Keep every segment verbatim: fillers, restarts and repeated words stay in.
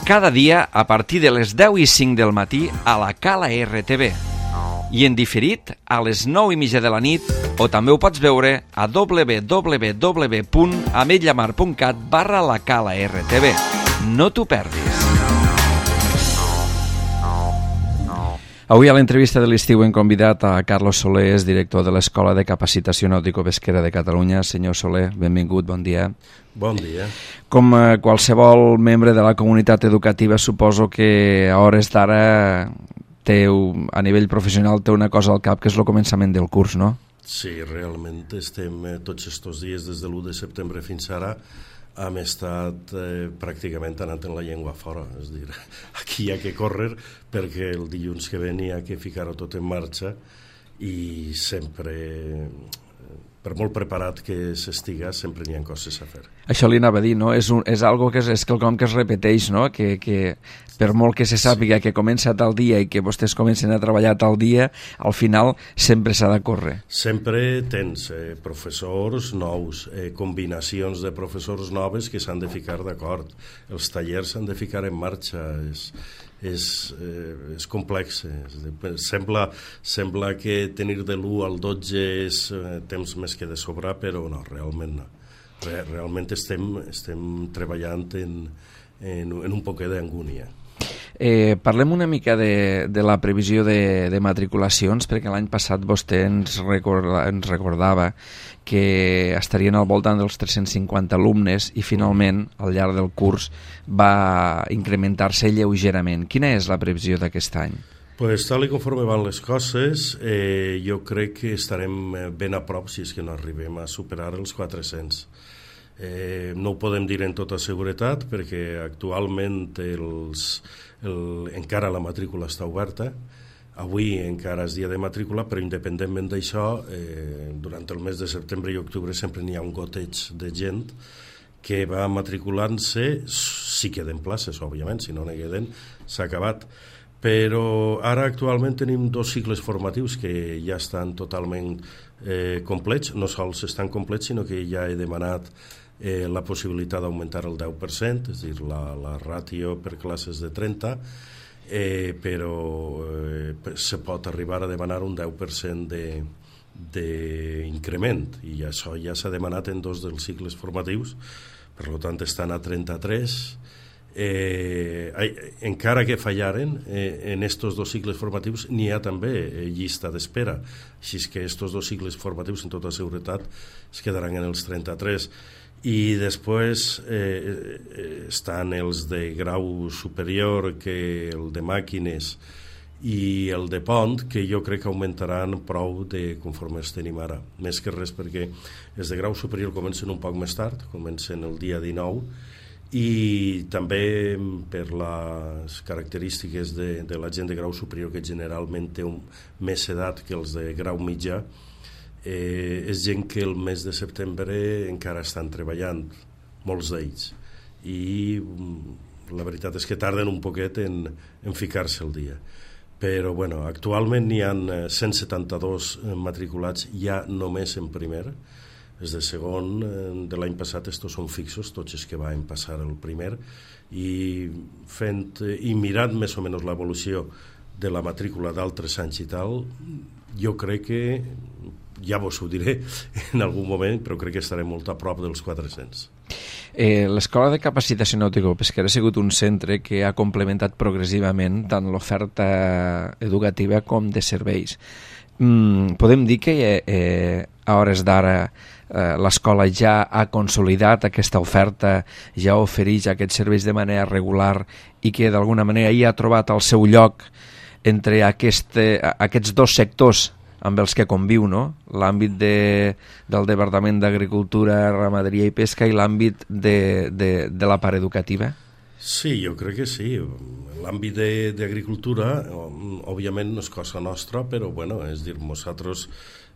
cada dia a partir de les deu i cinc del matí a la Cala R T V. I en diferit a les nou i mitja de la nit, o també ho pots veure a w w w punt ametlllamar punt cat barra la Cala R T V. No t'ho perdis. Avui a l'entrevista de l'estiu hem convidat a Carlos Soler, és director de l'Escola de Capacitació Nàutico-Pesquera de Catalunya. Senyor Soler, benvingut, bon dia. Bon dia. Com qualsevol membre de la comunitat educativa, suposo que a hores d'ara a nivell professional té una cosa al cap, que és el començament del curs, no? Sí, realment estem tots aquests dies, des de l'u de setembre fins ara, hem estat eh, pràcticament anant en la llengua fora, és dir, aquí hi ha que córrer perquè el dilluns que ve hi ha que ficar-ho tot en marxa i sempre, per molt preparat que s'estiga, sempre n'hi ha coses a fer. Això li anava a dir, no? És, un, és algo que és, és quelcom que es repeteix, no? Que, que per molt que se sàpiga que comença tal dia i que vostès comencen a treballar tal dia, al final sempre s'ha de córrer. Sempre tens eh, professors nous, eh, combinacions de professors noves que s'han de ficar d'acord. Els tallers s'han de ficar en marxa. És, és, eh, és complex. Sembla, sembla que tenir de l'u al dotze és eh, temps més que de sobrar, però no, realment no. Re, realment estem, estem treballant en, en, en un poquet d'angúnia. Eh, parlem una mica de, de la previsió de, de matriculacions, perquè l'any passat vostè ens, recorda, ens recordava que estarien al voltant dels tres-cents cinquanta alumnes i finalment al llarg del curs va incrementar-se lleugerament. Quina és la previsió d'aquest any? Pues, tal i conforme van les coses, eh, jo crec que estarem ben a prop, si és que no arribem a superar els quatre-cents. Eh, no ho podem dir en tota seguretat perquè actualment els, el, encara la matrícula està oberta. Avui encara és dia de matrícula, però independentment d'això, eh, durant el mes de setembre i octubre sempre n'hi ha un goteig de gent que va matriculant-se, si queden places, òbviament, si no n'hi queden, s'ha acabat. Però ara actualment tenim dos cicles formatius que ja estan totalment eh, complets, no sols estan complets, sinó que ja he demanat eh, la possibilitat d'augmentar el deu per cent, és a dir, la, la ràtio per classes de trenta, eh, però eh, se pot arribar a demanar un deu per cent de, d'increment, i això ja s'ha demanat en dos dels cicles formatius, per tant estan a trenta-tres. Eh, encara que fallaren eh, en estos dos cicles formatius n'hi ha també eh, llista d'espera, així que estos dos cicles formatius en tota seguretat es quedaran en els trenta-tres i després eh, estan els de grau superior, que el de màquines i el de pont, que jo crec que augmentaran prou de conforme els tenim ara, més que res perquè els de grau superior comencen un poc més tard, comencen el dia dinou, i també per les característiques de, de la gent de grau superior, que generalment té un, més edat que els de grau mitjà, eh, és gent que el mes de setembre encara estan treballant, molts d'ells, i la veritat és que tarden un poquet en, en ficar-se al dia. Però bueno, actualment n'hi ha cent setanta-dos matriculats ja només en primer. Els de segon de l'any passat estos són fixos, tots els que van passar el primer, i fent i mirant més o menys l'evolució de la matrícula d'altres anys i tal, jo crec que, ja vos ho diré en algun moment, però crec que estarem molt a prop dels quatre-cents. Eh, L'Escola de Capacitació Nàutico-Pesquera ha sigut un centre que ha complementat progressivament tant l'oferta educativa com de serveis. Mm, podem dir que eh, a hores d'ara Eh, l'escola ja ha consolidat aquesta oferta, ja ofereix aquests serveis de manera regular i que d'alguna manera hi ha trobat el seu lloc entre aquest, aquests dos sectors amb els que conviu, no? L'àmbit de, del Departament d'Agricultura, Ramaderia i Pesca i l'àmbit de, de, de la part educativa? Sí, jo crec que sí. L'àmbit d'agricultura, òbviament no és cosa nostra, però bueno, és dir, nosaltres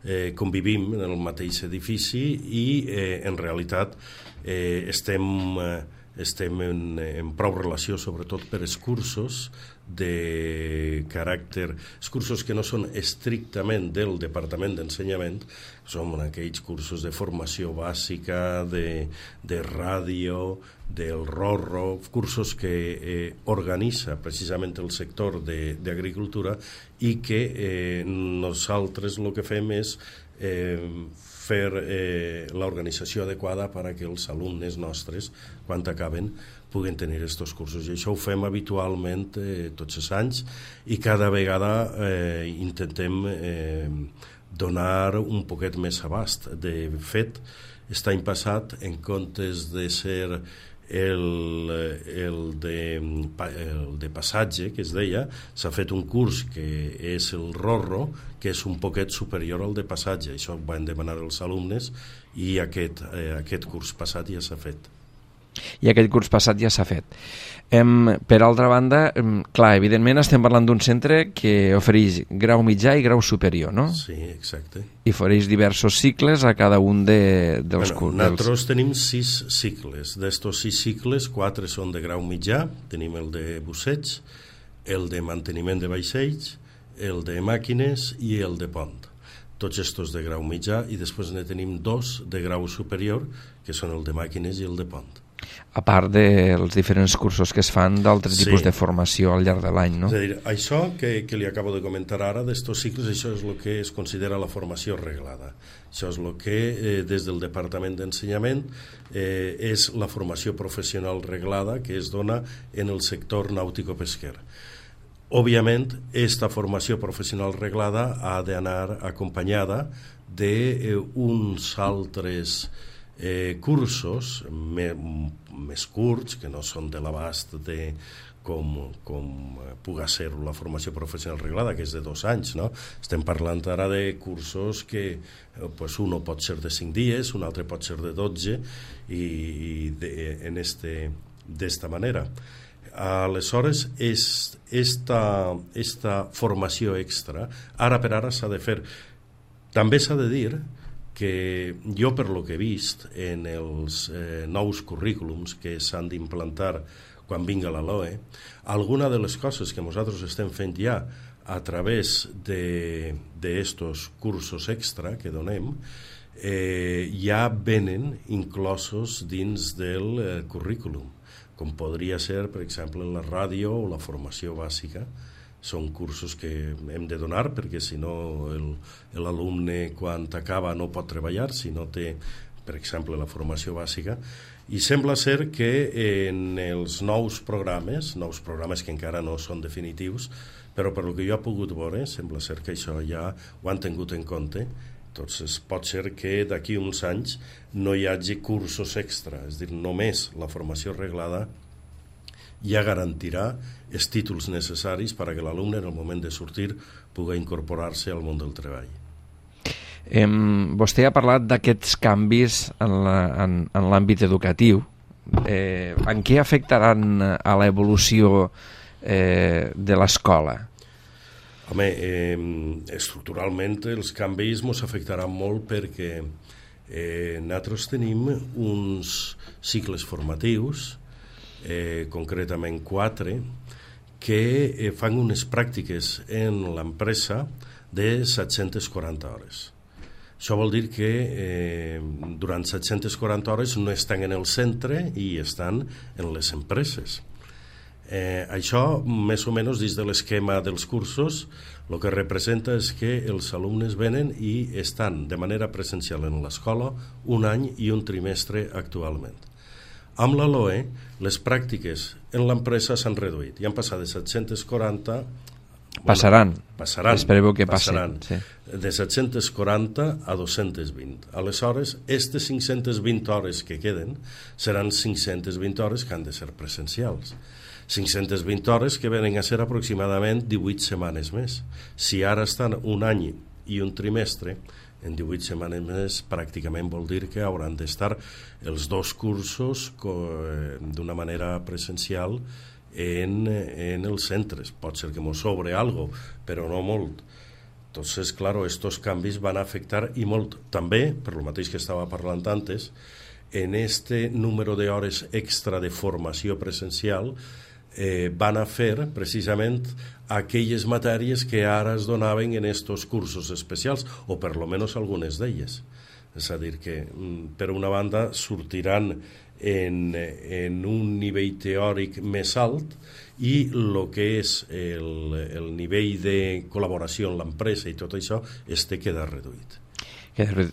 eh, convivim en el mateix edifici i eh, en realitat eh, estem eh, estem en, en prou relació, sobretot per els cursos de caràcter, els cursos que no són estrictament del Departament d'Ensenyament, són aquells cursos de formació bàsica, de, de ràdio, del Rorro, cursos que eh, organitza precisament el sector d'agricultura i que eh, nosaltres el que fem és eh, fer eh, l'organització adequada perquè els alumnes nostres, quan acaben, puguen tenir aquests cursos. I això ho fem habitualment eh, tots els anys i cada vegada eh, intentem eh, donar un poquet més abast. De fet, aquest any passat, en comptes de ser el, el, de, el de passatge, que es deia, s'ha fet un curs que és el Rorro, que és un poquet superior al de passatge. Això ho van demanar els alumnes i aquest, eh, aquest curs passat ja s'ha fet. I aquest curs passat ja s'ha fet. Em, per altra banda, em, clar, evidentment estem parlant d'un centre que ofereix grau mitjà i grau superior, no? Sí, exacte. I ofereix diversos cicles a cada un de, dels bueno, cursos. Nosaltres tenim sis cicles. D'estos sis cicles, quatre són de grau mitjà. Tenim el de busseig, el de manteniment de vaixells, el de màquines i el de pont. Tots estos de grau mitjà, i després ne tenim dos de grau superior, que són el de màquines i el de pont. A part dels diferents cursos que es fan d'altres sí. tipus de formació al llarg de l'any, no? És a dir, això que, que li acabo de comentar ara, d'estos cicles, això és el que es considera la formació reglada. Això és el que, eh, des del Departament d'Ensenyament, eh, és la formació professional reglada que es dona en el sector nàutico-pesquer. Òbviament, aquesta formació professional reglada ha d'anar acompanyada d'uns altres Eh, cursos me, més curts, que no són de l'abast de com, com puga ser la formació professional reglada, que és de dos anys, no? Estem parlant ara de cursos que eh, pues uno pot ser de cinc dies, un altre pot ser de dotze, i, i de, en este, d'esta manera. Aleshores, és, esta, esta formació extra, ara per ara s'ha de fer. També s'ha de dir que jo, per lo que he vist en els eh, nous currículums que s'han d'implantar quan vinga la L O E, alguna de les coses que nosaltres estem fent ja a través d'estos cursos extra que donem, eh, ja venen inclosos dins del eh, currículum, com podria ser, per exemple, la ràdio o la formació bàsica. Són cursos que hem de donar perquè si no l'alumne quan acaba no pot treballar si no té, per exemple, la formació bàsica. I sembla ser que en els nous programes, nous programes que encara no són definitius, però per el que jo he pogut veure, sembla ser que això ja ho han tingut en compte. Entonces, pot ser que d'aquí uns anys no hi hagi cursos extra, és a dir, només la formació reglada ja garantirà els títols necessaris perquè l'alumne en el moment de sortir pugui incorporar-se al món del treball. Eh, vostè ha parlat d'aquests canvis en l'àmbit educatiu. Eh, en què afectaran a l'evolució eh, de l'escola? Home, eh, estructuralment els canvis ens afectaran molt perquè eh, nosaltres tenim uns cicles formatius, Eh, concretament quatre, que eh, fan unes pràctiques en l'empresa de set-centes quaranta hores. Això vol dir que eh, durant set-centes quaranta hores no estan en el centre i estan en les empreses. Eh, això, més o menys, dins de l'esquema dels cursos, el que representa és que els alumnes venen i estan de manera presencial en l'escola un any i un trimestre actualment. Amb la L O E, les pràctiques en l'empresa s'han reduït i han passat de set-centes quaranta... Passaran. Bueno, passaran. Espereu que passaran, passin. Sí. De set-centes quaranta a dos-centes vint. Aleshores, aquestes cinc-centes vint hores que queden seran cinc-centes vint hores que han de ser presencials. cinc-centes vint hores que venen a ser aproximadament divuit setmanes més. Si ara estan un any i un trimestre, en divuit setmanes més pràcticament vol dir que hauran d'estar els dos cursos d'una manera presencial en, en els centres. Pot ser que ens sobre algo, però no molt. Entonces, claro, estos canvis van a afectar i molt. També, per lo mateix que estava parlant antes, en este número d'hores extra de formació presencial eh, van a fer precisament aquelles matèries que ara es donaven en estos cursos especials, o per lo menos algunes d'elles. És a dir, que per una banda sortiran en, en un nivell teòric més alt i el que és el, el nivell de col·laboració en l'empresa i tot això este queda reduït.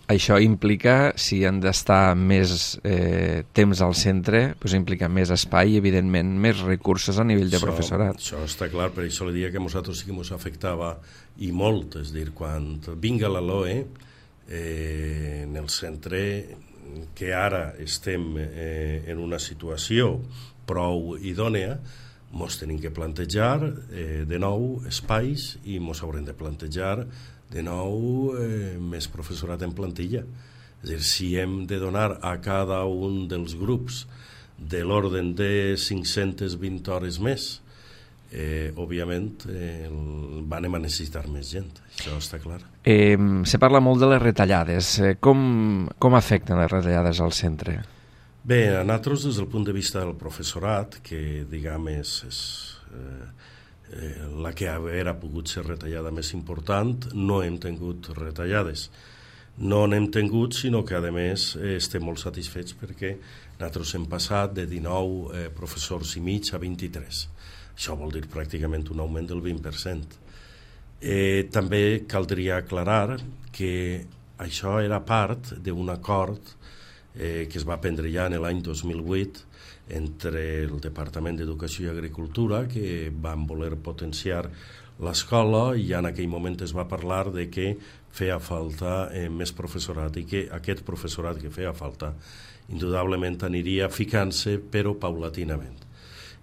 Això implica, si han d'estar més eh, temps al centre, pues implica més espai i, evidentment, més recursos a nivell de això, professorat. Això està clar, per això li dia que a nosaltres sí que ens afectava i molt, és dir, quan vinga la L O E, eh, en el centre, que ara estem eh, en una situació prou idònea, ens tenim que plantejar eh, de nou espais i ens haurem de plantejar de nou eh, més professorat en plantilla. És a dir, si hem de donar a cada un dels grups de l'ordre de cinc-centes vint hores més, eh, òbviament eh, anem a necessitar més gent, això està clar. Eh, se parla molt de les retallades. Eh, com, com afecten les retallades al centre? Bé, a nosaltres, des del punt de vista del professorat, que diguem és, és eh, eh, la que haver pogut ser retallada més important, no hem tingut retallades. No n'hem tingut, sinó que, a més, eh, estem molt satisfets perquè nosaltres hem passat de dinou eh, professors i mig a vint-i-tres. Això vol dir pràcticament un augment del vint per cent. Eh, també caldria aclarar que això era part d'un acord eh, que es va prendre ja en l'any dos mil vuit entre el Departament d'Educació i Agricultura, que van voler potenciar l'escola, i en aquell moment es va parlar de que feia falta eh, més professorat i que aquest professorat que feia falta indudablement aniria ficant-se, però paulatinament.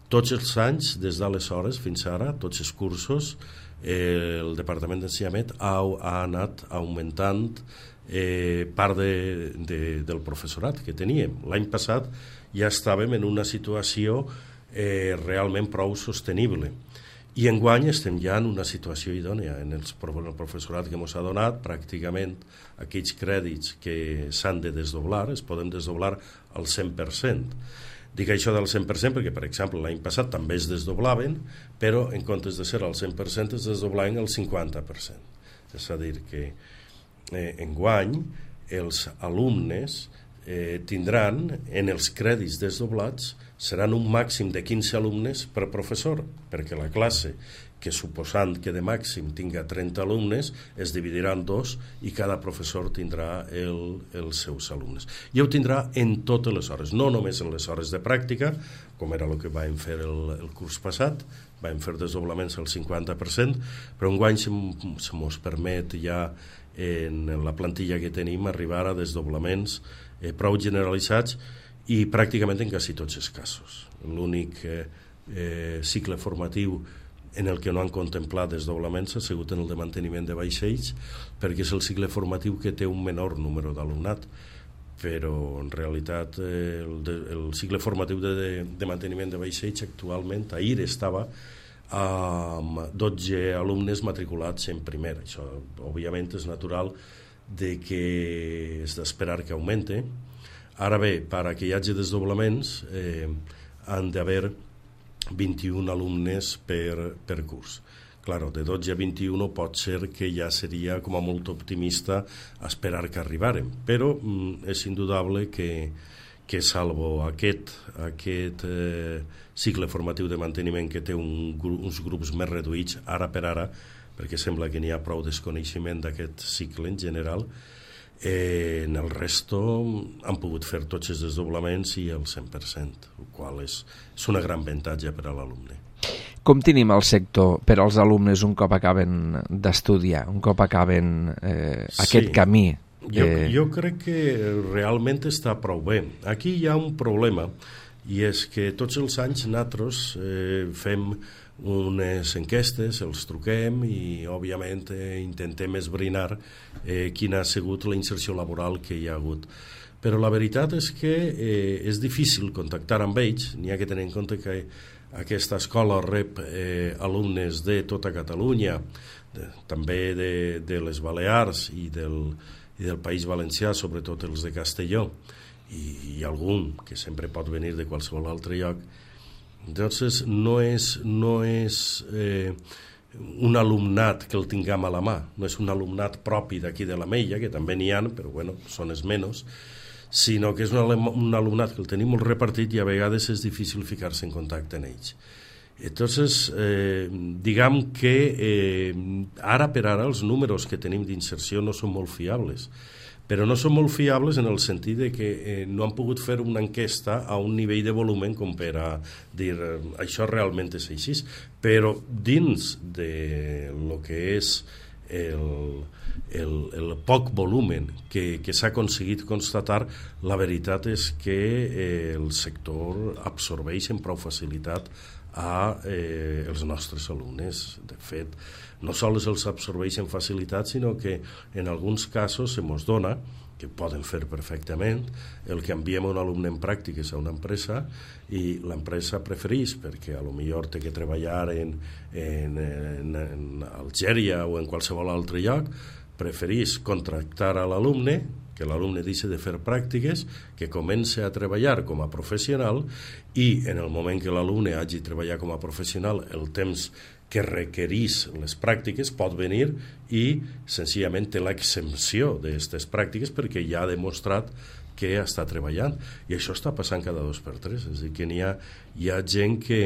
Tots els anys, des d'aleshores fins ara, tots els cursos, eh, el Departament d'Ensenyament ha, ha anat augmentant eh, part de, de, del professorat que teníem. L'any passat ja estàvem en una situació eh, realment prou sostenible. I enguany estem ja en una situació idònea. En els, el professorat que ens ha donat, pràcticament aquells crèdits que s'han de desdoblar, es poden desdoblar al cent per cent. Dic això del cent per cent perquè, per exemple, l'any passat també es desdoblaven, però en comptes de ser al cent per cent es desdoblaven al cinquanta per cent. És a dir, que eh, enguany els alumnes eh, tindran, en els crèdits desdoblats, seran un màxim de quinze alumnes per professor, perquè la classe, que suposant que de màxim tinga trenta alumnes, es dividirà en dos i cada professor tindrà el, els seus alumnes. I ho tindrà en totes les hores, no només en les hores de pràctica, com era el que vam fer el, el curs passat, vam fer desdoblaments al cinquanta per cent, però enguany se, se mos permet ja en la plantilla que tenim arribar a desdoblaments eh, prou generalitzats i pràcticament en quasi tots els casos. L'únic eh, eh, cicle formatiu en el que no han contemplat desdoblaments ha sigut en el de manteniment de vaixells, perquè és el cicle formatiu que té un menor número d'alumnat, però en realitat eh, el, de, el cicle formatiu de, de, de manteniment de vaixells actualment, ahir estava amb dotze alumnes matriculats en primer. Això, òbviament, és natural de que és d'esperar que augmente. Ara bé, per a que hi hagi desdoblaments, eh, han d'haver vint-i-un alumnes per, per curs. Claro, de dotze a vint-i-un pot ser que ja seria com a molt optimista esperar que arribarem, però mm, és indudable que, que salvo aquest, aquest eh, cicle formatiu de manteniment que té un, uns grups més reduïts ara per ara, perquè sembla que n'hi ha prou desconeixement d'aquest cicle en general, Eh, en el resto han pogut fer tots els desdoblaments i el cent per cent, el qual és, és una gran avantatge per a l'alumne. Com tenim el sector per als alumnes un cop acaben d'estudiar, un cop acaben eh, aquest sí. camí? Jo, jo crec que realment està prou bé. Aquí hi ha un problema, i és que tots els anys nosaltres eh, fem unes enquestes, els truquem i òbviament eh, intentem esbrinar eh, quina ha sigut la inserció laboral que hi ha hagut. Però la veritat és que eh, és difícil contactar amb ells, n'hi ha que tenir en compte que aquesta escola rep eh, alumnes de tota Catalunya, de, també de, de les Balears i del, i del País Valencià, sobretot els de Castelló, i, i algun que sempre pot venir de qualsevol altre lloc. Entonces no és, no és eh, un alumnat que el tinguem a la mà, no és un alumnat propi d'aquí de l'Ametlla, que també n'hi ha, però bueno, són els menys, sinó que és un, un alumnat que el tenim molt repartit i a vegades és difícil ficar-se en contacte amb ells. Entonces, eh, diguem que eh, ara per ara els números que tenim d'inserció no són molt fiables, però no són molt fiables en el sentit de que eh, no han pogut fer una enquesta a un nivell de volumen com per a dir eh, això realment és així, però dins de lo que és el, el, el poc volumen que, que s'ha aconseguit constatar, la veritat és que eh, el sector absorbeix amb prou facilitat a eh, els nostres alumnes. De fet, no sols els absorbeix amb facilitat, sinó que en alguns casos se mos dona, que poden fer perfectament, el que enviem un alumne en pràctiques a una empresa i l'empresa prefereix, perquè a lo millor té que treballar en, en, en, en Algèria o en qualsevol altre lloc, prefereix contractar a l'alumne, que l'alumne deixi de fer pràctiques, que comence a treballar com a professional i en el moment que l'alumne hagi treballat com a professional el temps que requereix les pràctiques pot venir i senzillament té l'exempció d'aquestes pràctiques perquè ja ha demostrat que està treballant, i això està passant cada dos per tres, és a dir, que n'hi ha, hi ha gent que,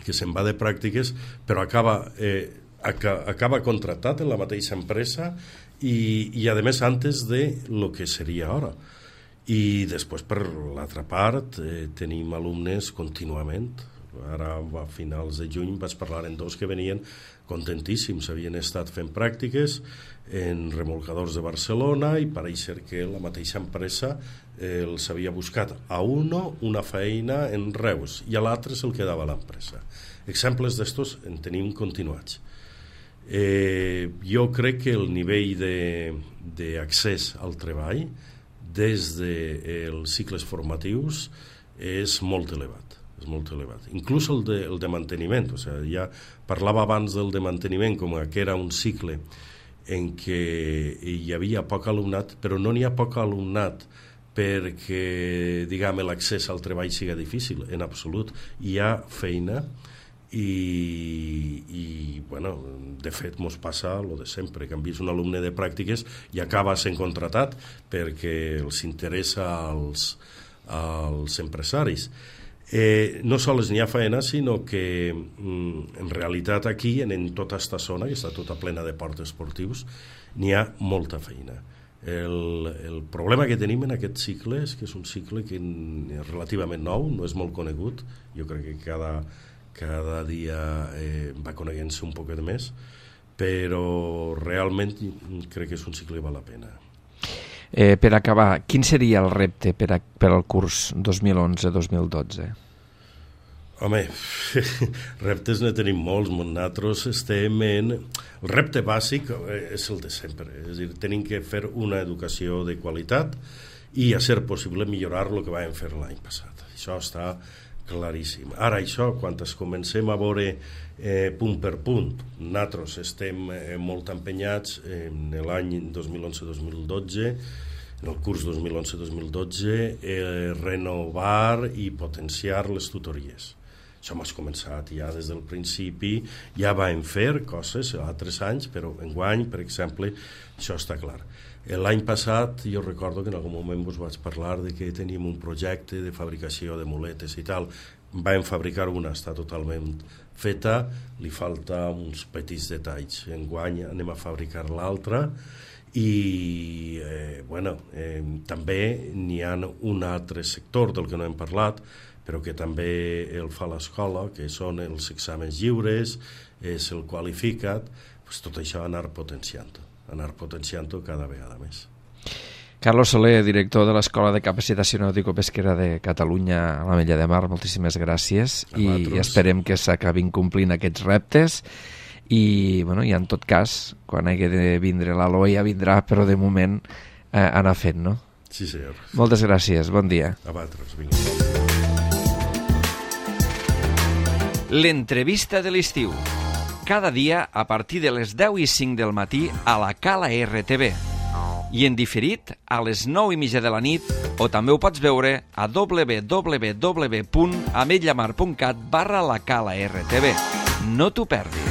que se'n va de pràctiques però acaba, eh, acaba contractat en la mateixa empresa i, i a més antes de lo que seria ara. I després, per l'altra part, eh, tenim alumnes contínuament. Ara, a finals de juny, vaig parlar amb dos que venien contentíssims. Havien estat fent pràctiques en remolcadors de Barcelona i pareix ser que la mateixa empresa eh, els havia buscat a uno una feina en Reus i a l'altre se'l quedava a l'empresa. Exemples d'estos en tenim continuats. Eh, jo crec que el nivell d'accés al treball des dels cicles formatius és molt elevat, és molt elevat. Inclús el de, el de manteniment, o sigui, ja parlava abans del de manteniment com que era un cicle en què hi havia poc alumnat, però no n'hi ha poc alumnat perquè, diguem, l'accés al treball siga difícil, en absolut. Hi ha feina i, i bueno, de fet mos passa el de sempre, que han vist un alumne de pràctiques i acaba sent contratat perquè els interessa als, als empresaris. Eh, no sols n'hi ha feina, sinó que mm, en realitat aquí, en, en tota aquesta zona, que està tota plena de ports esportius, n'hi ha molta feina. El, el problema que tenim en aquest cicle és que és un cicle que és relativament nou, no és molt conegut, jo crec que cada cada dia eh, va coneguent-se un poquet més, però realment crec que és un cicle que val la pena. Eh, per acabar, quin seria el repte per, a, per al curs dos mil onze dos mil dotze? Home, reptes ne tenim molts. Nosaltres estem en... El repte bàsic és el de sempre, és a dir, tenim que fer una educació de qualitat i, a ser possible, millorar el que vam fer l'any passat. Això està claríssim. Ara això, quan es comencem a veure eh, punt per punt, nosaltres estem eh, molt empenyats en l'any dos mil onze dos mil dotze, en el curs dos mil onze dos mil dotze, eh, renovar i potenciar les tutories. Això m'ha començat ja des del principi, ja vam fer coses altres anys, però enguany, per exemple, això està clar. L'any passat jo recordo que en algun moment us vaig parlar de que teníem un projecte de fabricació de muletes i tal. Vam fabricar una, està totalment feta, li falta uns petits detalls. Enguany anem a fabricar l'altra i eh, bueno, eh, també n'hi ha un altre sector del que no hem parlat, però que també el fa l'escola, que són els exàmens lliures, és el qualificat, pues tot això anar potenciant anar potenciant-ho cada vegada més. Carlos Soler, director de l'Escola de Capacitació Nàutico-Pesquera de Catalunya a l'Ametlla de Mar, moltíssimes gràcies i esperem que s'acabin complint aquests reptes i, bueno, i en tot cas, quan hagi de vindre l'Eloi ja vindrà, però de moment eh, anar fent, no? Sí, senyor. Moltes gràcies, bon dia. A vosaltres, vinga. L'entrevista de l'estiu. Cada dia a partir de les deu i cinc del matí a la Cala R T V. i en diferit a les nou i mitja de la nit, o també ho pots veure a w w w punt ametlllamar punt cat barra la cala R T V. No t'ho perdis.